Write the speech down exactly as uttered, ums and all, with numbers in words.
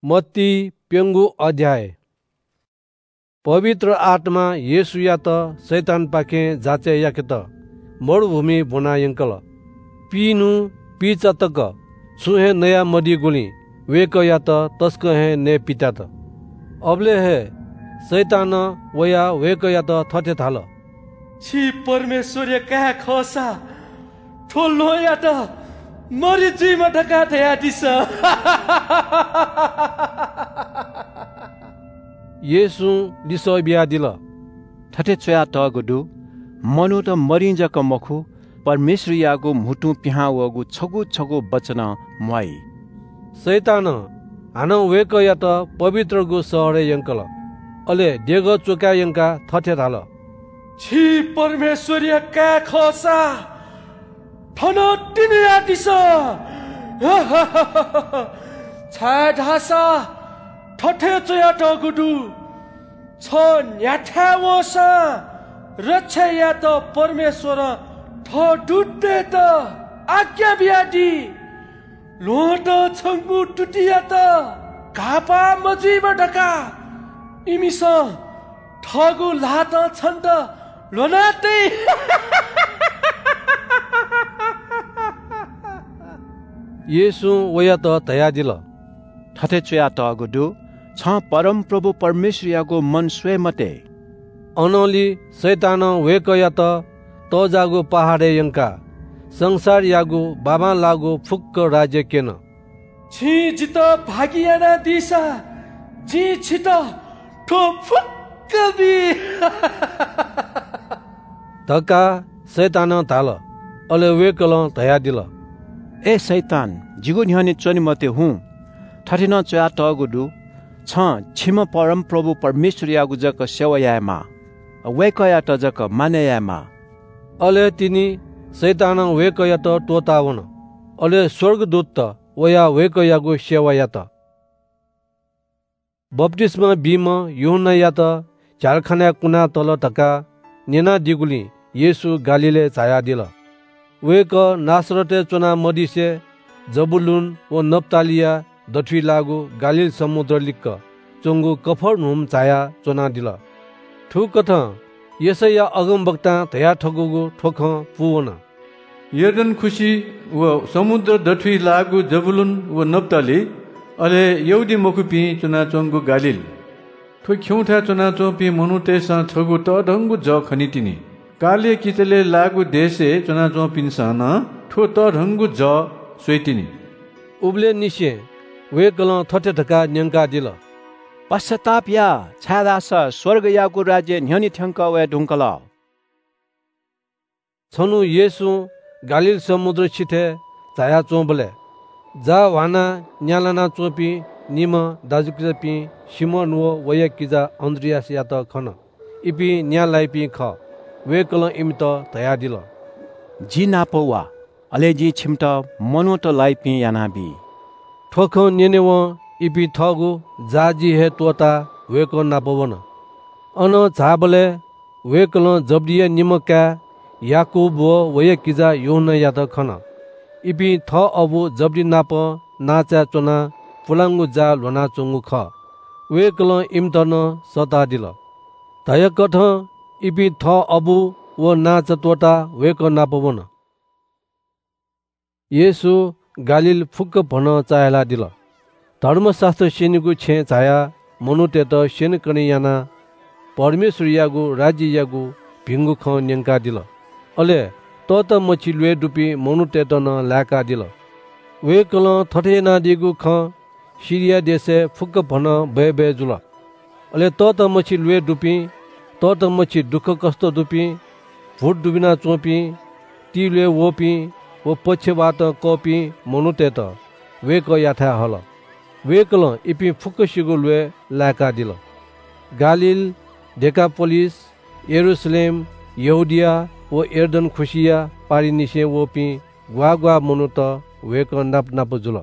मत्ती प्यंगू अध्याय। पवित्र आत्मां येशूयात शैतानपाखें जाँचय् याकेत मरुभूमिइ ब्वना यंकल। पीन्हु पीचा तक छुं हे नयामदीगुलिं वय्‌कःयात तसकं हे नये पित्यात। अबलय् हे शैतानं वयाः वय्‌कःयात थथे धाल, "छि परमेश्वरया काय् खःसा थ्व ल्वहंयात मरि जुइमा धकाः धयादिसँ।" येशूं लिसः बियादिल, थथे च्वयातःगु दु, "मनूत मरिं जक मखु, परमेश्वरयागु म्हुतुं पिहां वःगु छगू छगू वचनं म्वाइ।" शैतानं हानं वय्‌कःयात पवित्रगु शहरय् यंकल। अले देगः च्वकाः यंकाः थथे धाल, "छि परमेश्वरया काय् खःसा थन तिनि यादिसँ, छाय्‌धाःसा थथे च्वयातःगु दु, छ न्ह्याथाय् वंसां रक्षा यायेत परमेश्वरं थः दूततय्‌त आज्ञा बियादी। ल्वहंतं छंगु तुतियात घाःपाः मजुइमा धकाः इमिसं थःगु ल्हातं छन्त ल्ह्वना तइ।" येशूं वयात धयादिल, थथे च्वयातःगु दु, "छं परमप्रभु परमेश्वरयागु मन स्वये मते।" अनंलि शैतानं वय्‌कःयात तःजाःगु पहाडय् यंकाः संसारयागु बाबांलाःगु फुक्क राज्य क्यन। "छिं जितः भागि यानादीसा जिं छितः थ्व फुक्क बी" धकाः शैतानं धाल। अले वय्‌कलं धयादिल, "ए शैतान, जिगु न्ह्यःने च्वने मते हुँ। थथे नं च्वयातःगु दु, छं छिम्ह परमप्रभु परमेश्वरयागु जक सेवा यायेमाः, वय्‌कःयात जक मानय् यायेमाः।" अले तिनि शैतानं वय्‌कःयात त्वःतावन। अले स्वर्गदूतत वयाः वय्‌कःयागु सेवा यात। बप्तिस्मा बीम्ह यूहन्नायात झ्यालखानाय् कुनातल धकाः न्यनादीगुलिं येशू गालीलय् झायादिल। वय्‌कः नासरतय् च्वनामदिसे जबूलून व नप्तालीया दथुइ लाःगु गालील समुद्र लिक्क च्वंगु कफर्नहुम झायाः च्वनादिल। थुकथं यशैया अगमवक्तां धयाथकूगु थ्व खँ पूवन। यर्दन खुसि व समुद्र दथुइ लाःगु जबूलून व नप्ताली, अले यहूदीमखुपिं च्वनाच्वंगु गालील। थ्व खिउँथाय् च्वनाच्वंपिं मनूतय्‌सं छगू तःधंगु जः खनीतिनि। कालया किचलय् लाःगु देशय् च्वनाच्वंपिन्सं नं थ्व तःधंगु जः स्वइतिनि। उबलय्‌निसें वय्‌कलं थथे धकाः न्यंकादिल, पश्चाताप या, छाय्‌धाःसा स्वर्गयागु राज्य न्ह्यःने थ्यंकः वये धुंकल। छन्हु येशूं गालील समुद्र सिथय् झायाच्वंबलय् जाः ह्वानाः न्या लानाच्वंपिं निम्ह दाजुकिजापिं सिमोन व वया किजा अन्‍द्रियासयात खन। इपिं न्या लाइपिं खः। वय्‌कलं इमित धयादिल, जि नाप वा, अले जिं छिमित मनूत लाइपिं यानाबी। थ्व खँ न्यनेवं इपिं थःगु जाःजी हे त्वःताः वय्‌कः नाप वन। अनं झाःबलय् वय्‌कलं जब्‍दिया निम्ह काय् याकूब व वया किजा यूहन्‍नायात खन। इपिं थः अबु जब्‍दि नाप नांचाय् च्वनाः पुलांगु जाः ल्‍ह्वनाच्‍वंगु खः। वय्‌कलं इमित नं सःतादिल। धयाकथं इपिं थः अबु व नांचा त्वःताः वय्‌कः नाप वन। येशू गालील फुक्‍क भनं चाःहिलादिल। धर्मशास्‍त्र स्‍यनीगु छेँय् झायाः मनूतय्‌त स्‍यनेकने यानाः परमेश्‍वरयागु राज्‍ययागु भिंगु खँ न्‍यंकादिल। अले तःतामछि ल्‍वय् दुपिं मनूतय्‌त नं लाय्‌कादिल। वय्‌कलं थथे यानादीगु खँ सिरिया देशय् फुक्‍क भनं बय्‌बय् जुल। अले तःतामछि ल्‍वय् दुपिं, तःतामछि दुःखकष्‍ट दुपिं, भूत दुबिनाच्‍वंपिं, तिल्‍वय् वःपिं व पक्षवातं कःपिं मनूतय्‌त वय्‌कःयाथाय् हल। वय्‌कलं इपिं फुक्‍कसिगु ल्‍वय् लाय्‌कादिल। गालील, डेकापोलिस, यरूशलेम, यहूदिया व यर्दन खुसिया पारिंनिसें वःपिं ग्‍वाः ग्‍वाः मनूत वय्‌कः नाप नाप जुल।